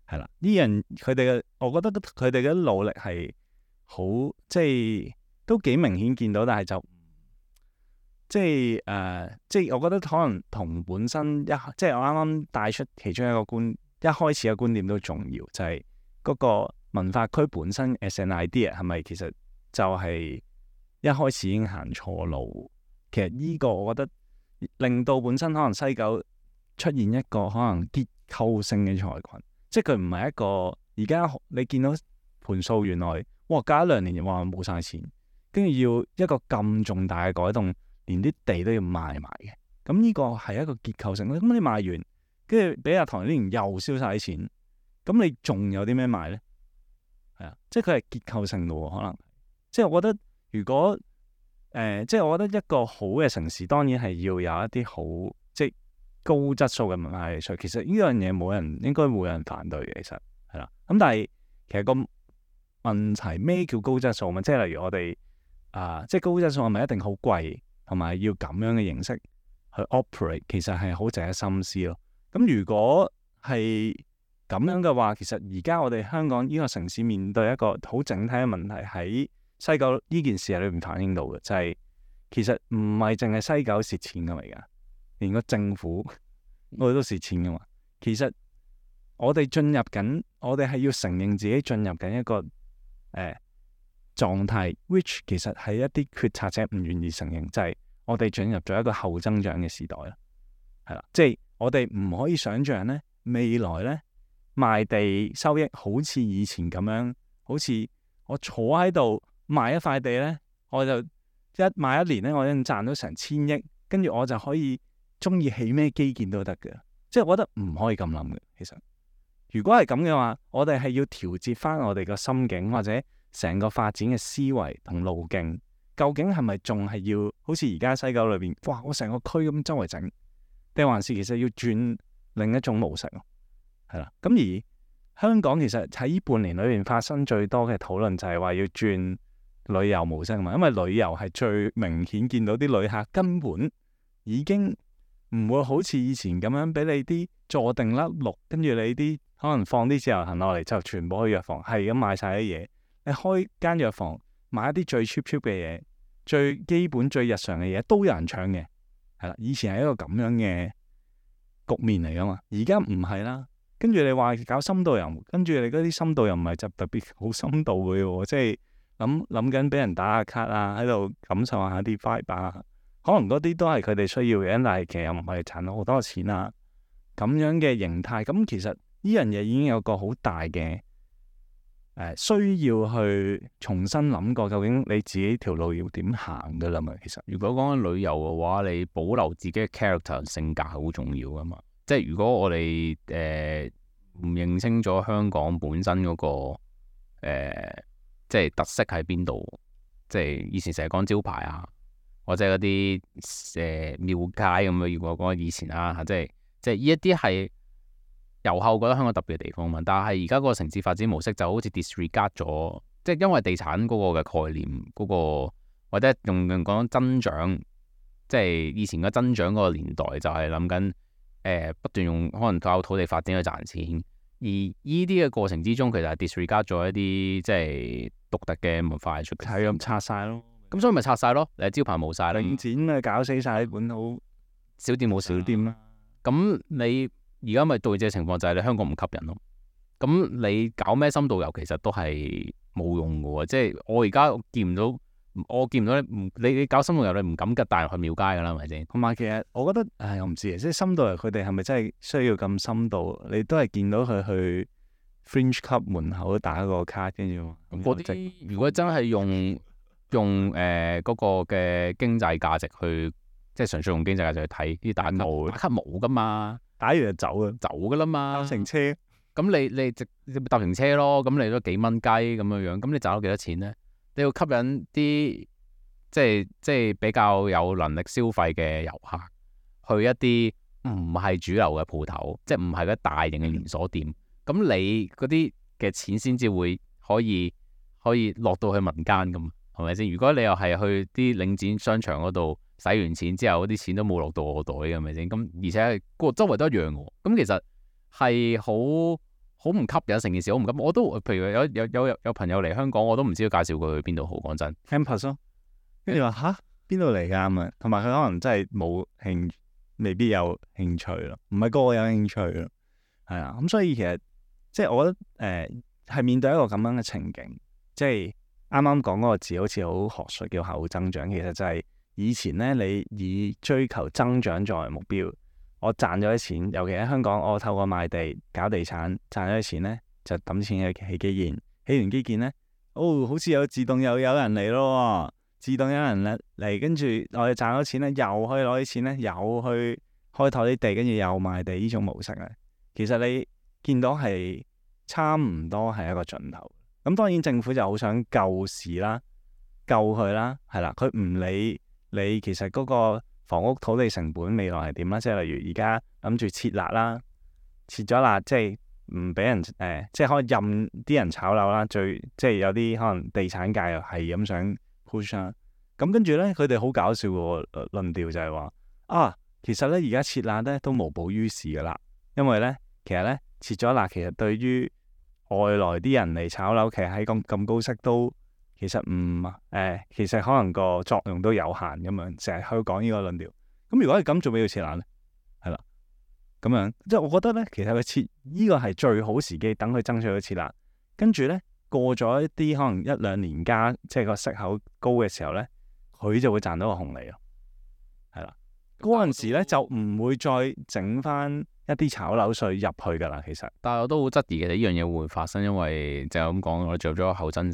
係啦。呢樣佢哋嘅，我覺得佢哋嘅努力係好，即係都幾明顯見到，但係就即係我覺得可能同本身即係我啱啱帶出其中一個一開始嘅觀點都重要，就係嗰個文化區本身 as an idea 係咪其實就係一開始已經行錯路？其實呢個我覺得令到本身可能西九出現一個可能結構性嘅財群，即係佢唔係一個而家你見到盤數原來哇隔一兩年話冇晒錢，跟住要一個咁重大嘅改動，連啲地都要賣埋嘅。咁呢個係一個結構性。咁你賣完，跟住俾阿唐英年又燒晒啲錢，咁你仲有啲咩賣咧？係啊，即係佢係結構性嘅喎，可能即係我覺得如果即係我覺得一個好嘅城市，當然係要有一啲好即係高質素嘅文化藝術。其實呢樣嘢應該冇人反對嘅，其實係啦。咁但係其實個問題咩叫高質素嘛？即係例如我哋即係高質素係咪一定好貴，同埋要咁樣嘅形式去 operate？其實係好值得深思咯。咁如果係咁樣嘅話，其實而家我哋香港呢個城市面對一個好整體嘅問題，喺西九呢件事裏面反映到嘅，就係其實唔係淨係西九蝕錢噶嘛，而家連個政府我哋都蝕錢噶嘛。其實我哋係要承認自己進入緊一個狀態 which 其實係一啲決策者唔願意承認，就係我哋進入咗一個後增長嘅時代啦，係啦，即係我哋唔可以想象咧，未來咧賣地收益好似以前咁樣，好似我坐喺度賣一塊地咧，我就賣一年咧，我已經賺到成1000億，跟住我就可以中意起咩基建都得嘅。即係我覺得唔可以咁諗嘅。其實如果係咁嘅話，我哋係要調節翻我哋個心境，或者成個發展嘅思維同路徑，究竟係咪仲係要好似而家西九裏邊，哇！我成個區咁周圍整，定還是其實要轉另一種模式咯？係啦，咁而香港其實喺呢半年裏邊發生最多嘅討論就係話要轉旅遊模式啊嘛，因為旅遊係最明顯見到啲旅客根本已經唔會好似以前咁樣俾你啲坐定粒六，跟住你啲可能放啲自由行落嚟就全部去藥房係咁買晒啲嘢。你開間藥房買一啲最 cheap 嘅嘢，最基本最日常嘅嘢都有人搶嘅，係啦。以前係一個咁樣嘅局面嚟噶嘛，而家唔係啦。跟住你話搞深度遊，跟住你嗰啲深度遊唔係就特別好深度嘅喎，即係諗緊俾人打下卡啊，喺度感受下啲 vibe 啊，可能嗰啲都係佢哋需要嘅，但係其實又唔係賺到好多錢啊，咁樣嘅形態。咁其實呢樣嘢已經有個好大嘅需要去重新諗過，究竟你自己條路要點行噶啦嘛？其實如果講緊旅遊嘅話，你保留自己嘅 character 性格係好重要噶嘛。即係如果我哋唔認清咗香港本身嗰個即係特色喺邊度，即係以前成日講招牌啊，或者嗰啲廟街咁樣，如果講以前啊，即係呢一啲係遊客覺得香港特別嘅地方嘛。但係而家個城市發展模式就好似 disregard 咗，即係因為地產嗰個嘅概念嗰個，或者用講增長，即係以前嘅增長嗰個年代就係諗緊。不斷用可能靠土地發展去賺錢，而呢啲嘅過程之中，其實係 disregard 咗一啲即係獨特嘅文化藝術，係咁拆晒咯。咁所以咪拆晒咯，招牌冇晒啦，領展啊搞死晒本土小店冇小店啦。咁你而家咪對嘅情況就係你香港唔吸引咯。咁你搞咩深度遊其實都係冇用嘅喎，即係我而家見唔到。你搞深度遊，你唔敢吉大人去廟街噶啦，係咪先？同埋其實我覺得，我唔知即係深度遊佢哋係咪真係需要咁深度？你都係見到佢去 Fringe Club 門口打個卡，跟住嗰啲如果真係用用嗰個嘅經濟價值去，即係純粹用經濟價值去睇啲打卡冇噶嘛，打完就走啊，走噶啦嘛，搭乘車。咁你搭乘車咯，咁你都幾蚊雞咁樣樣，咁你賺到幾多錢咧？你要吸引啲即係比較有能力消費嘅遊客去一啲唔係主流嘅鋪頭，即係唔係嗰啲大型嘅連鎖店，咁你嗰啲嘅錢先至會可以落到去民間咁，係咪先？如果你又係去啲領展商場嗰度使完錢之後，嗰啲錢都冇落到我袋嘅，係咪先？咁而且個周圍都一樣嘅，咁其實係好唔吸引，成件事好唔吸引。我都譬如有朋友嚟香港，我都唔知道介紹佢去邊度好。講真 campus 咯，跟住話吓邊度嚟㗎咁啊，同埋佢可能真係冇興，未必有興趣咯，唔係個個有興趣咯，係啊，咁所以其實即係我覺得係面對一個咁樣嘅情景，即係啱啱講嗰個字好似好學術叫後增長，其實就係以前咧你以追求增長作為目標。我賺咗啲錢，尤其喺香港，我透過賣地搞地產賺咗啲錢咧，就抌錢去起基建。起完基建咧，好似有自動又有人嚟咯，自動有人嚟，跟住我哋賺咗錢咧，又可以攞啲錢咧，又去開拓啲地，跟住又賣地呢種模式咧，其實你見到係差唔多係一個盡頭。咁當然政府就好想救市啦，救佢啦，係啦，佢唔理你其實嗰個房屋土地成本未來係點啦？即係例如而家諗住撤辣啦，撤咗辣，即係唔俾人即係可以任啲人炒樓啦。即係有啲可能地產界又係咁想 push 啦。咁跟住咧，佢哋好搞笑嘅論調就係話啊，其實咧而家撤辣咧都無補於事噶啦，因為咧其實咧撤咗辣，其實對於外來啲人嚟炒樓，其實喺咁高息都。其實其實可能個作用都有限咁樣，成日去講呢個論調。咁如果係咁，做咩要撤辣咧？係啦，咁樣即係我覺得咧，其實佢撤呢個係最好時機，等佢爭取咗撤辣。跟住咧過咗一啲可能1-2年加，即係個息口高嘅時候咧，佢就會賺到個紅利咯。係啦，嗰陣時咧就唔會再整翻一啲炒樓稅入去噶啦。其實，但係我都好質疑嘅呢樣嘢會唔會發生，因為就咁講，我哋做咗後增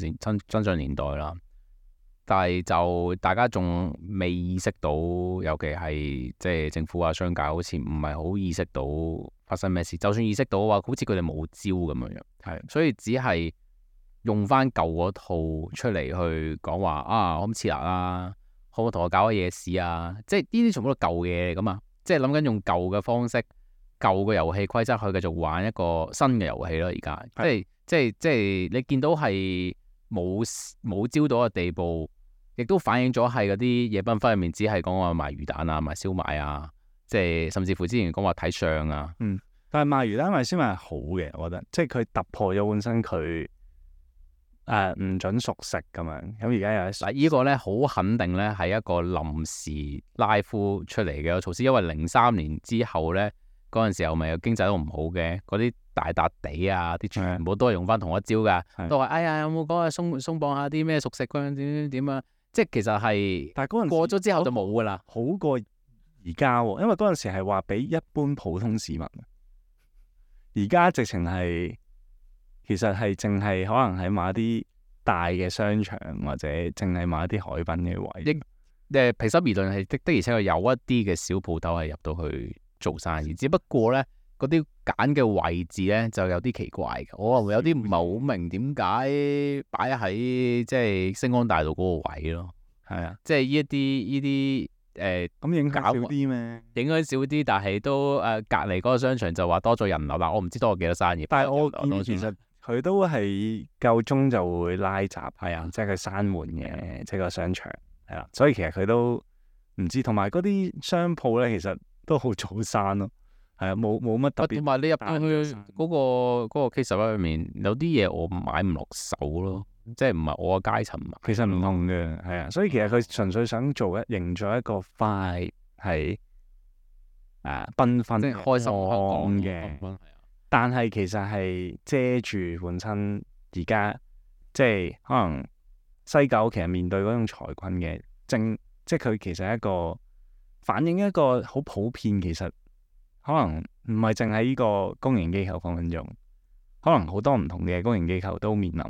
長年代啦。但係就大家仲未意識到，尤其係即係政府啊、商界，好似唔係好意識到發生咩事。就算意識到嘅話，好似佢哋冇招咁樣樣。係，所以只係用翻舊嗰套出嚟去講話啊，可唔可以撤辣啦？可唔可以同我搞下夜市啊？即係呢啲全部都舊嘢嚟噶嘛。即係諗緊用舊嘅方式。舊嘅遊戲規則去繼續玩一個新嘅遊戲咯，而家即係你見到係冇招到嘅地步，亦都反映咗係嗰啲夜繽紛入面只係講話賣魚蛋啊、賣燒賣啊，即係甚至乎之前講話睇相啊。但係賣魚蛋賣燒賣係好嘅，我覺得，即係佢突破咗本身佢唔準熟食咁樣。咁而家有嗱呢個咧好肯定咧係一個臨時拉夫出嚟嘅措施，因為03年之後咧。嗰陣時候咪有經濟都唔好嘅，嗰啲大笪地啊，啲全部都係用翻同一招噶，都話哎呀有冇講啊鬆綁下啲咩熟食嗰樣點啊，即係其實係，但係嗰陣過咗之後就冇噶啦，好過而家喎，因為嗰陣時係話俾一般普通市民，而家直情係其實係淨係可能喺某一啲大嘅商場或者淨係某一啲海濱嘅位，平心而論係的而且確有一啲嘅小鋪頭係入到去。做生意，只不過咧嗰啲揀嘅位置咧就有啲奇怪嘅，我有啲唔係好明點解擺喺即係星光大道嗰個位咯。係啊，即係呢啲咁影響少啲咩？影響少啲，但係都隔離嗰個商場就話多咗人流啦。我唔知多咗幾多生意，但係我其實佢都係夠鐘就會拉閘，係啊，即係佢閂門嘅，即係個商場係啦。所以其實佢都唔知，同埋嗰啲商鋪咧，其實。都好早閂咯，係啊，冇乜特別。同埋你入去嗰個 K11入面，有啲嘢我買唔落手咯，即係唔係我個階層買。其實唔同嘅，係啊，所以其實佢純粹想營造一個快係繽紛、即係開心嘅，但係其實係遮住本身而家即係可能西九其實面對嗰種財困嘅即係佢其實係一個。反映一個好普遍，其實可能唔係淨係呢個公營機構分鐘，可能好多唔同嘅公營機構都面臨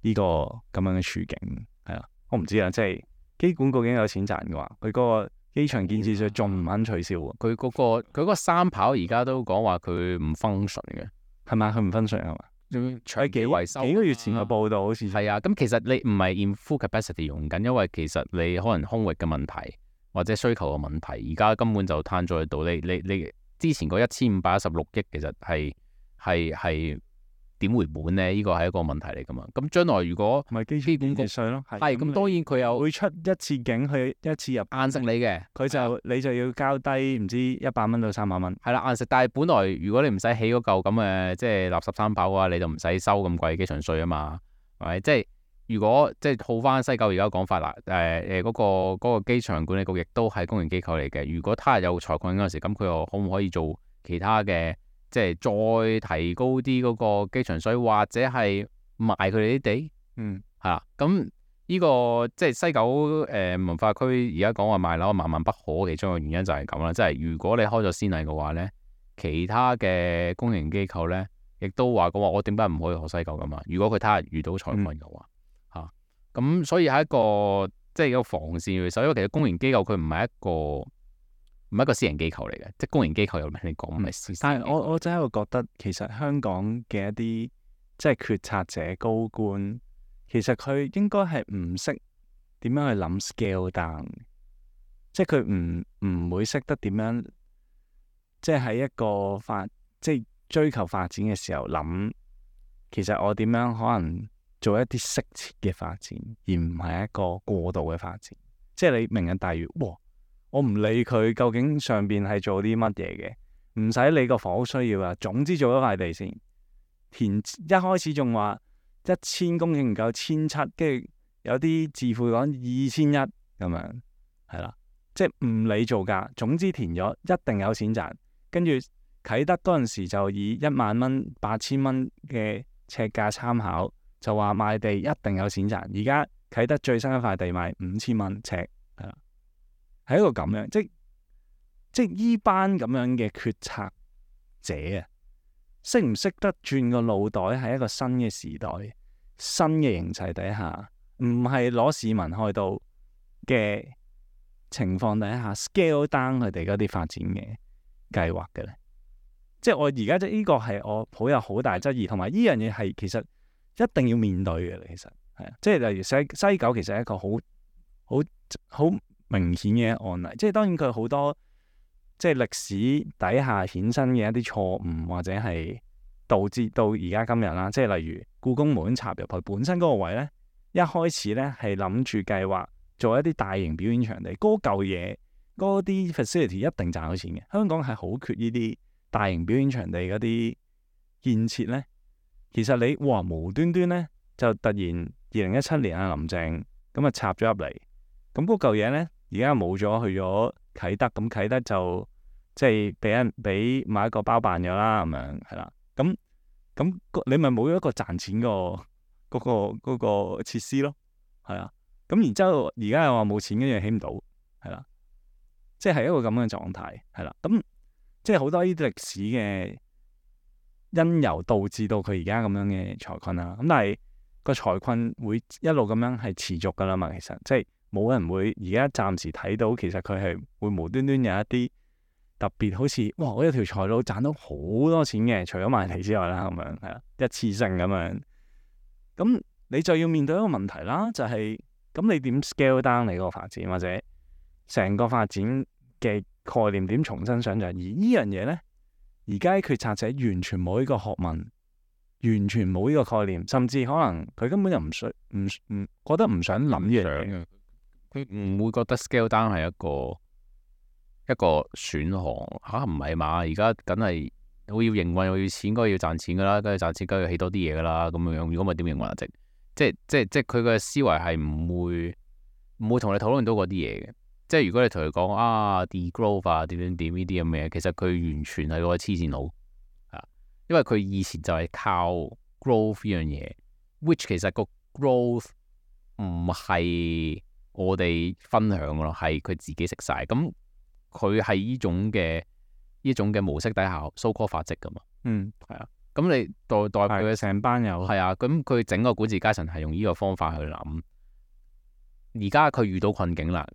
呢個咁樣嘅處境，係啦。我唔知啊，即係機管局已經有錢賺嘅話，佢嗰個機場建設稅仲唔肯取消喎？佢嗰個三跑而家都講話佢唔 function 嘅，係咪？佢唔分稅係嘛？仲係幾維修個月前嘅報道好似係啊。咁其實你唔係 in full capacity 用緊，因為其實你可能空域嘅問題或者需求嘅問題，而家根本就攤咗喺度。你之前嗰1516億其實係點回本咧？呢個係一個問題嚟噶嘛。咁將來如果咪機管局稅咯，係咁，當然佢有會出一次境去一次入硬食你嘅，你就要交低唔知100蚊到300蚊。係啦，硬食。但係本來如果你唔使起嗰嚿咁嘅即係垃圾三跑嘅話，你就唔使收咁貴機場稅啊嘛，係咪？即係如果即係套翻西九而家講法啦，嗰個機場管理局亦都係公營機構嚟嘅。如果他日有財困嗰陣時，咁佢又可唔可以做其他嘅？即係再提高啲嗰個機場稅，或者係賣佢哋啲地，係啦。咁呢個即係西九文化區而家講話賣樓萬萬不可，其中嘅原因就係咁啦。即係如果你開咗先例嘅話咧，其他嘅公營機構咧，亦都話講話我點解唔可以學西九噶嘛？如果佢他日遇到財困嘅話，咁所以係一個即係一個防線嚟。所以因為其實公營機構佢唔係一個私人機構嚟嘅，即係公營機構有咩你講唔係私。但係我真係覺得其實香港嘅一啲即係決策者高官，其實佢應該係唔識點樣去諗 scale down，即係佢唔會識得點樣，即係喺一個即係追求發展嘅時候諗，其實我點樣可能做一啲適切嘅發展，而唔係一個過度嘅發展。即係你明日大嶼，哇！我唔理佢究竟上邊係做啲乜嘢嘅，唔使理個房屋需要啊。總之做咗塊地先，填一開始仲話1000公頃唔夠1700，跟住有啲智庫講2100咁樣，係啦，即係唔理造價，總之填咗一定有錢賺。跟住啟德嗰陣時就以10000蚊、8000蚊嘅尺價參考，就話賣地一定有錢賺。而家啟德最新一塊地賣5000蚊尺，係啦。係一個咁樣，即係依班咁樣嘅決策者啊，識唔識得轉個腦袋？係一個新嘅時代、新嘅形勢底下，唔係攞市民開刀嘅情況底下 scale down 佢哋嗰啲發展嘅計劃嘅咧。即係我而家即係呢個係我抱有好大質疑，同埋呢樣嘢係其實一定要面對嘅。其實係啊，即係例如西九其實係一個好明顯嘅案例，即係當然佢好多即係歷史底下衍生嘅一啲錯誤，或者係導致到而家今日啦。即係例如故宮門插入去本身嗰個位咧，一開始咧係諗住計劃做一啲大型表演場地，嗰嚿嘢嗰啲 facility 一定賺到錢嘅。香港係好缺呢啲大型表演場地嗰啲建設咧。其實你無端端咧就突然2017年啊林鄭咁啊插咗入嚟，咁嗰嚿嘢咧。而家冇咗，去咗啟德，咁啟德就即係俾某一個包辦咗啦，咁樣係啦。咁你咪冇咗一個賺錢嗰個設施咯，係啊。咁然之後而家又話冇錢，跟住起唔到，係啦。即係一個咁嘅狀態，係啦。咁即係好多呢啲歷史嘅因由導致到佢而家咁樣嘅財困啦。咁但係個財困會一路咁樣係持續噶啦嘛，其實即係。冇人會而家暫時睇到，其實佢係會無端端有一啲特別，好似哇！我有條財路賺到好多錢嘅，除咗賣地之外啦，咁樣係啦，一次性咁樣。咁你就要面對一個問題啦，就係咁你點 scale down 你個發展，或者成個發展嘅概念點重新想像？而呢樣嘢咧，而家決策者完全冇呢個學問，完全冇呢個概念，甚至可能佢根本就唔覺得唔想諗呢樣嘢。佢唔會覺得 scale down 係一個選項嚇，唔係嘛？而家梗係我要營運，我要錢，該要賺錢噶啦，跟住賺錢梗係要起多啲嘢噶啦，咁樣。如果唔係點營運啊？即係佢嘅思維係唔會同你討論到嗰啲嘢嘅。即係如果你同佢講degrowth 啊點呢啲咁嘅嘢，其實佢完全係個黐線佬啊！因為佢以前就係靠 growth 呢樣嘢，which 其實個 growth 唔係我哋分享嘅咯，係佢自己食晒。咁佢係呢種嘅模式底下 so call 發跡噶嘛。係啊。咁你代表佢成班友係啊。咁佢整個管治階層係用呢個方法去諗。而家佢遇到困境啦，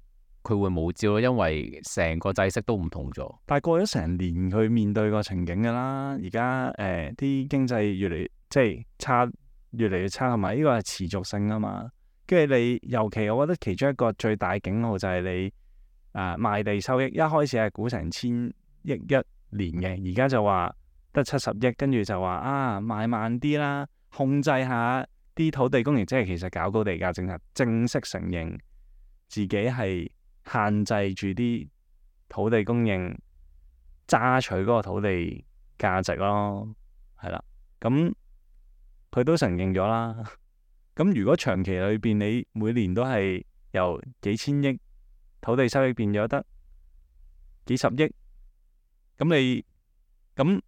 佢會冇招咯，因為成個制式都唔同咗。但係過咗成年，佢面對個情景㗎啦。而家啲經濟越嚟即係差，越嚟越差，同埋呢個係持續性啊嘛。跟住你尤其，我覺得其中一個最大警號就係你賣地收益，一開始係估成1000億一年嘅，而家就話得70億，跟住就話賣慢啲啦，控制下啲土地供應，即係其實搞高地價政策，正式承認自己係限制住啲土地供應，揸取嗰個土地價值咯，係啦，咁佢都承認咗啦。咁如果長期裏邊你每年都係由幾千億土地收益變咗得幾十億，咁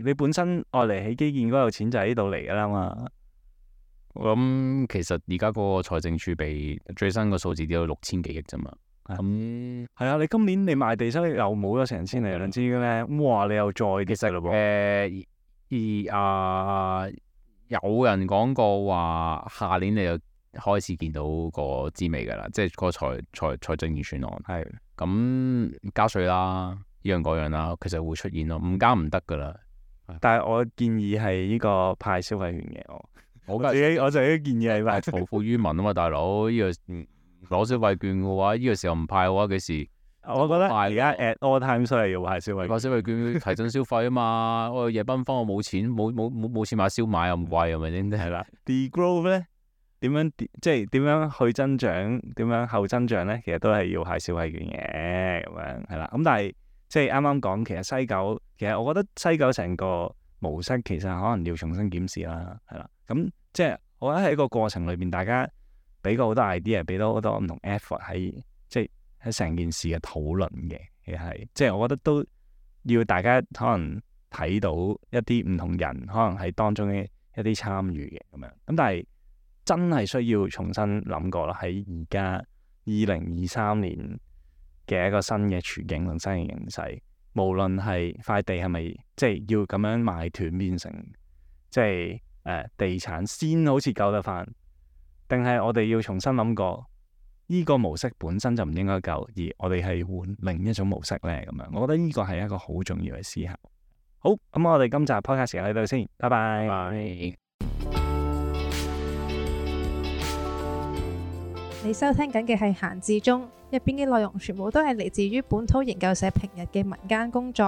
你本身愛嚟起基建嗰度錢就喺呢度嚟噶啦嘛。我諗其實而家嗰個財政儲備最新個數字都有6000幾億啫嘛。咁係啊，你今年你賣地收益又冇咗成千嚟兩千嘅咩？哇！你又再跌勢咯噃。有人講過話，下年你就開始見到個滋味㗎啦，即係個財政預算案。係咁加稅啦，依樣嗰樣啦，其實會出現咯，唔加唔得㗎啦。但係我建議係呢個派消費券嘅，我自己建議係派財富於民啊嘛，大佬，呢個攞消費券嘅話，呢個時候唔派嘅話，幾時？我覺得而家 at all times 都係要派消費券。派消費券提振消費啊嘛，我夜繽紛我冇錢，冇錢買燒賣又咁貴，係咪先？係啦。Degrowth 咧點樣即係點樣去增長？點樣後增長咧？其實都係要派消費券嘅咁樣係啦。咁但係即係啱啱講，其實我覺得西九成個模式其實可能要重新檢視啦，係啦。咁即係我覺得喺個過程裏邊，大家俾過好多 idea，俾到好多唔同 effort 喺成件事嘅討論嘅，其實係即係我覺得都要大家可能睇到一啲唔同人可能喺當中嘅一啲參與嘅咁樣。咁但係真係需要重新諗過啦，喺而家2023年嘅一個新嘅處境同新嘅形勢，無論係塊地係咪即係要咁樣賣斷變成即係地產先好似救得翻，定係我哋要重新諗過呢個模式本身就唔應該救，而我哋係換另一種模式呢？咁樣。我覺得呢個係一個好重要嘅思考。好，咁我哋今集 podcast 時間喺度先，拜拜。你收聽緊嘅係閒置中，入邊嘅內容全部都係嚟自於本土研究社平日嘅民間工作，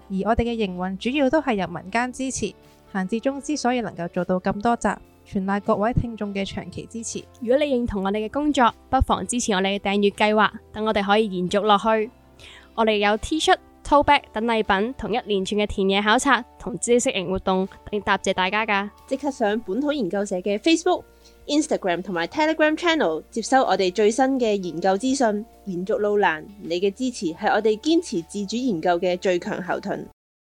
而我哋嘅營運主要都係由民間支持。閒置中之所以能夠做到咁多集，全賴各位聽眾嘅長期支持。如果你認同我哋嘅工作，不妨支持我哋嘅訂閱計劃，等我哋可以延續落去。我哋有 T 恤、tote bag 等禮品，同一連串嘅田野考察同知識型活動，嚟答謝大家㗎。即刻上本土研究社嘅 Facebook、Instagram 同埋 Telegram Channel 接收我哋最新嘅研究資訊。延續路難，你嘅支持係我哋堅持自主研究嘅最強後盾。